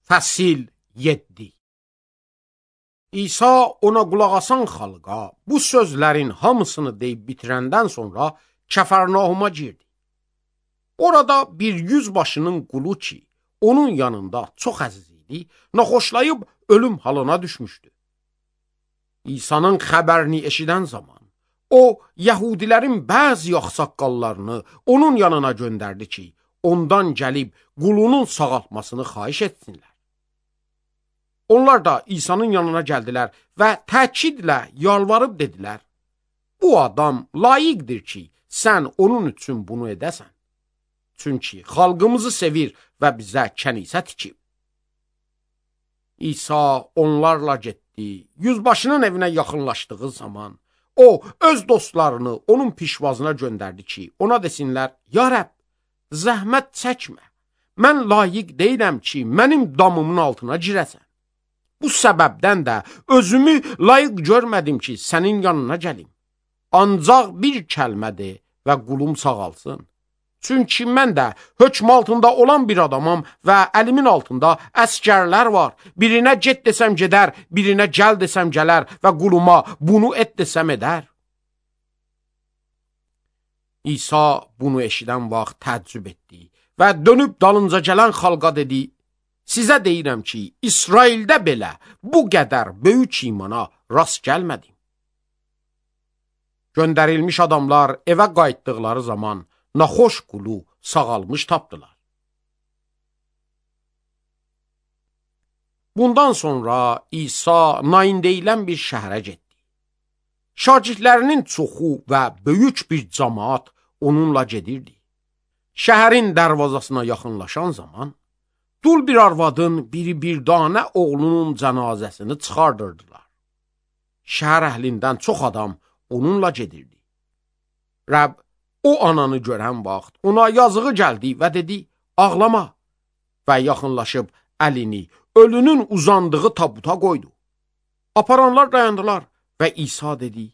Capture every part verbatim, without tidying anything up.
Fəsil yeddi. İsa ona qulaq asan xalqa bu sözlərin hamısını deyib bitirəndən sonra Kəfərnauma girdi. Orada bir yüzbaşının qulu ki, onun yanında çox əziz idi, naxoşlayıb ölüm halına düşmüşdü. İsa'nın xəbərini eşidən zaman, o, Yəhudilərin bəzi axsaqqallarını onun yanına göndərdi ki, ondan gəlib qulunun sağaltmasını xahiş etsinlər. Onlar da İsa'nın yanına gəldilər və təkidlə yalvarıb dedilər, bu adam layiqdir ki, sən onun üçün bunu edəsən. Çünki xalqımızı sevir və bizə kənisə tikib. İsa onlarla getdi, yüzbaşının evinə yaxınlaşdığı zaman, o, öz dostlarını onun pişvazına göndərdi ki, ona desinlər, ya Rəbb, zəhmət çəkmə, mən layiq deyiləm ki, mənim damımın altına girəsən. Bu səbəbdən də özümü layiq görmədim ki, sənin yanına gəlim. Ancaq bir kəlmədir və qulum sağalsın. Çünki mən də hökm altında olan bir adamam və əlimin altında əskərlər var. Birinə get desəm gedər, birinə gəl desəm gələr və quluma bunu et desəm edər. İsa bunu eşidən vaxt təəccüb etdi və dönüb dalınca gələn xalqa dedi, sizə deyirəm ki, İsraildə belə bu qədər böyük imana rast gəlmədim. Göndərilmiş adamlar evə qayıtdıqları zaman naxoş qulu sağalmış tapdılar. Bundan sonra İsa Nain deyilən bir şəhərə getdi. Şagirdlərinin çoxu və böyük bir cəmaat onunla gedirdi. Şəhərin dərvazasına yaxınlaşan zaman, dul bir arvadın biri bir danə oğlunun cənazəsini çıxardırdılar. Şəhər əhlindən çox adam onunla gedirdi. Rəbb, o ananı görən vaxt ona yazığı gəldi və dedi, ağlama və yaxınlaşıb əlini ölünün uzandığı tabuta qoydu. Aparanlar dayandılar və İsa dedi,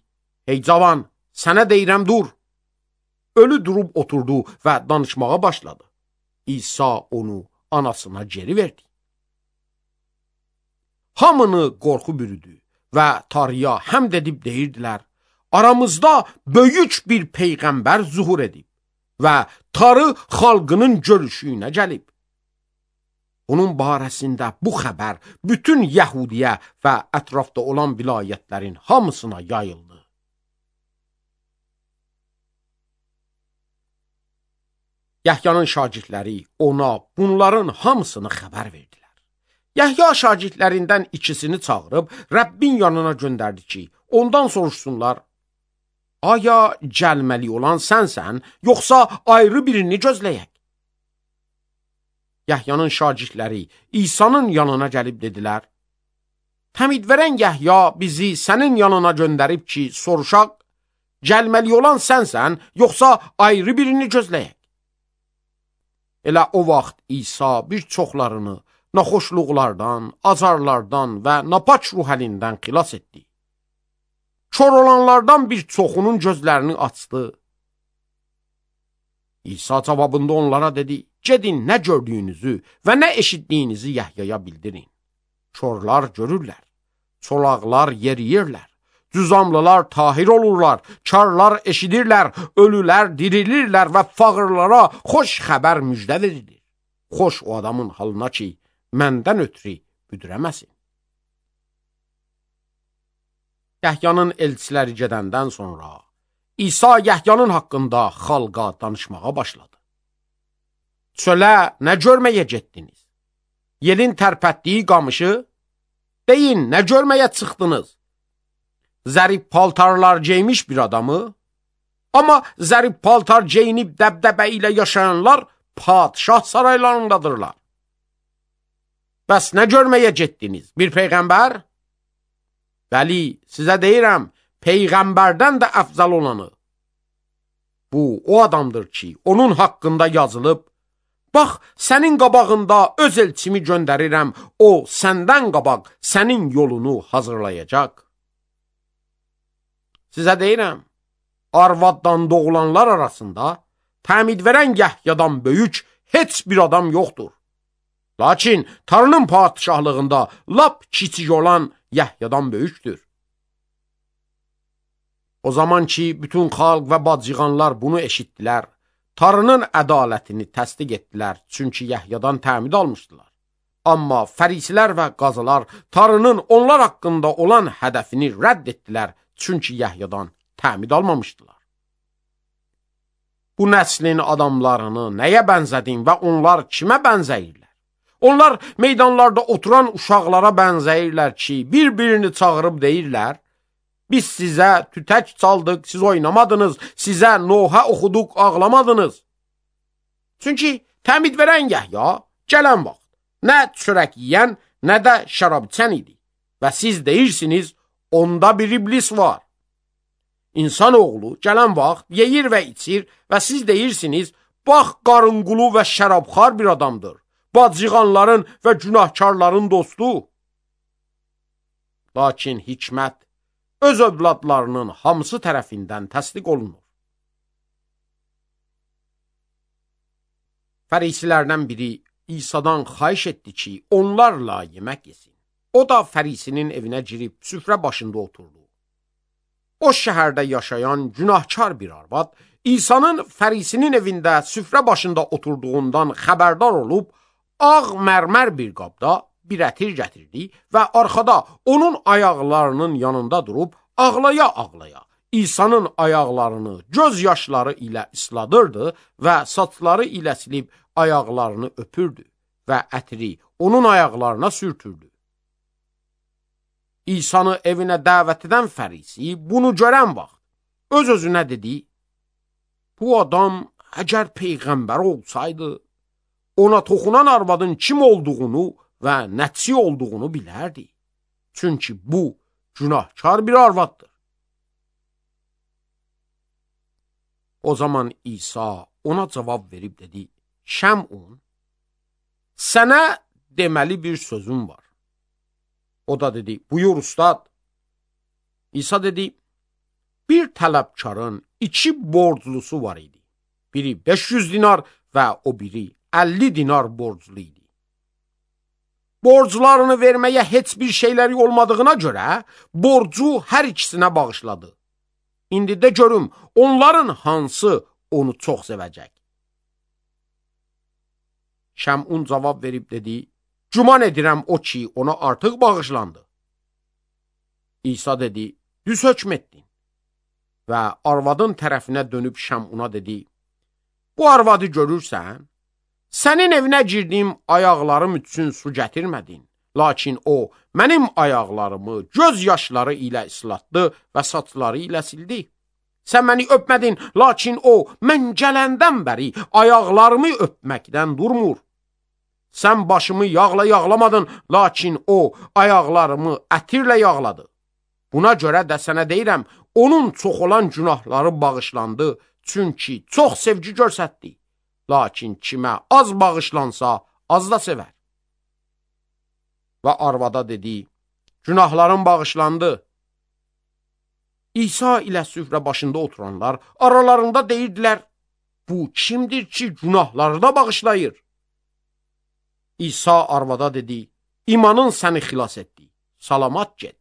hey cavan, sənə deyirəm dur. Ölü durub oturdu və danışmağa başladı. İsa onu anasına geri verdi. Hamını qorxu bürüdü və Tanrıya həmd edib deyirdilər, aramızda böyük bir peyğəmbər zuhur edib və Tanrı xalqının görüşünə gəlib. Onun barəsində bu xəbər bütün Yəhudiyə və ətrafda olan vilayətlərin hamısına yayıldı. Yəhyanın şagirdləri ona bunların hamısını xəbər verdilər. Yəhya şagirdlərindən ikisini çağırıb Rəbbin yanına göndərdi ki, ondan soruşsunlar, aya gəlməli olan sənsən, yoxsa ayrı birini gözləyək? Yəhyanın şagirdləri İsa'nın yanına gəlib dedilər, təmid verən Yəhya bizi sənin yanına göndərib ki, soruşaq, gəlməli olan sənsən, yoxsa ayrı birini gözləyək? Elə o vaxt İsa bir çoxlarını naxoşluqlardan, azarlardan və napaç ruh əlindən xilas etdi. Kör olanlardan bir çoxunun gözlərini açdı. İsa cavabında onlara dedi, gedin nə gördüyünüzü və nə eşitdiyinizi Yəhyaya bildirin. Körlər görürlər, çolaqlar yeriyirlər. Cüzamlılar tahir olurlar, karlar eşidirlər, ölülər dirilirlər və fağırlara xoş xəbər müjdə verilir. Xoş o adamın halına ki, məndən ötürü büdürəməsin. Yəhyanın elçiləri gedəndən sonra İsa Yəhyanın haqqında xalqa danışmağa başladı. Çölə nə görməyə getdiniz? Yelin tərpətdiyi qamışı? Deyin, nə görməyə çıxdınız? Zərif paltarlar geymiş bir adamı, amma zərif paltar geyinib dəbdəbə ilə yaşayanlar padşah saraylarındadırlar. Bəs nə görməyə getdiniz? Bir peyğəmbər? Bəli, sizə deyirəm, peyğəmbərdən də əfzal olanı. Bu, o adamdır ki, onun haqqında yazılıb, bax, sənin qabağında öz elçimi göndərirəm, o səndən qabaq sənin yolunu hazırlayacaq. Sizə deyirəm, arvaddan doğulanlar arasında təmid verən Yəhyadan böyük heç bir adam yoxdur. Lakin Tanrının padişahlığında lap kiçik olan Yahyadan böyükdür. O zaman ki bütün xalq və bacıqanlar bunu eşitdilər, Tanrının ədalətini təsdiq etdilər, çünki Yahyadan təmid almışdılar. Amma fərisilər və qazılar Tanrının onlar haqqında olan hədəfini rədd etdilər, çünki Yahyadan təmid almamışdılar. Bu nəslin adamlarını nəyə bənzədin və onlar kimə bənzəyirlər? Onlar meydanlarda oturan uşaqlara bənzəyirlər ki, bir-birini çağırıb deyirlər, biz sizə tütək çaldıq, siz oynamadınız, sizə Nohə oxuduq, ağlamadınız. Çünki təmid verən Yahya gələn vaxt nə çörək yiyən, nə də şərab içən idi və siz deyirsiniz, onda bir iblis var. İnsanoğlu gələn vaxt yeyir və içir və siz deyirsiniz, bax qarınqulu və şərabxar bir adamdır, bacıqanların və günahkarların dostu. Lakin hikmət öz övladlarının hamısı tərəfindən təsdiq olunur. Fərisilərdən biri İsa'dan xahiş etdi ki, onlarla yemək yesin. O da fərisinin evinə girib süfrə başında oturdu. O şəhərdə yaşayan günahkar bir arvad, İsa'nın fərisinin evində süfrə başında oturduğundan xəbərdar olub, ağ mərmər bir qabda bir ətir gətirdi və arxada onun ayaqlarının yanında durub ağlaya-ağlaya İsa'nın ayaqlarını göz yaşları ilə isladırdı və saçları ilə silib ayaqlarını öpürdü və ətiri onun ayaqlarına sürtürdü. İsa'nı evinə dəvət edən fərisi bunu görən vaxt öz-özünə dedi, bu adam əgər peyğəmbər olsaydı, ona toxunan arvadın kim olduğunu və nəçi olduğunu bilərdi. Çünki bu günahkar bir arvaddır. O zaman İsa ona cavab verib dedi, Şəmun, sənə deməli bir sözüm var. O da dedi, buyur ustad. İsa dedi, bir tələbkarın iki borclusu var idi. Biri beş yüz dinar və o biri əlli dinar borclu idi. Borclarını verməyə heç bir şeyləri olmadığına görə borcu hər ikisinə bağışladı. İndi də görüm, onların hansı onu çox sevəcək. Şəmun cavab verib dedi, güman edirəm o ki, ona artıq bağışlandı. İsa dedi, düz hökm etdin. Və arvadın tərəfinə dönüb Şəmuna dedi, bu arvadı görürsən, sənin evinə girdim, ayaqlarım üçün su gətirmədin. Lakin o, mənim ayaqlarımı göz yaşları ilə islatdı və saçları ilə sildi. Sən məni öpmədin, lakin o, mən gələndən bəri ayaqlarımı öpməkdən durmur. Sən başımı yağla yağlamadın, lakin o, ayaqlarımı ətirlə yağladı. Buna görə də sənə deyirəm, onun çox olan günahları bağışlandı, çünki çox sevgi göstərdi. Lakin kimə az bağışlansa, az da sevər. Və arvada dedi, günahların bağışlandı. İsa ilə süfrə başında oturanlar aralarında deyirdilər, bu kimdir ki, günahları da bağışlayır? İsa arvada dedi, imanın səni xilas etdi, salamat get.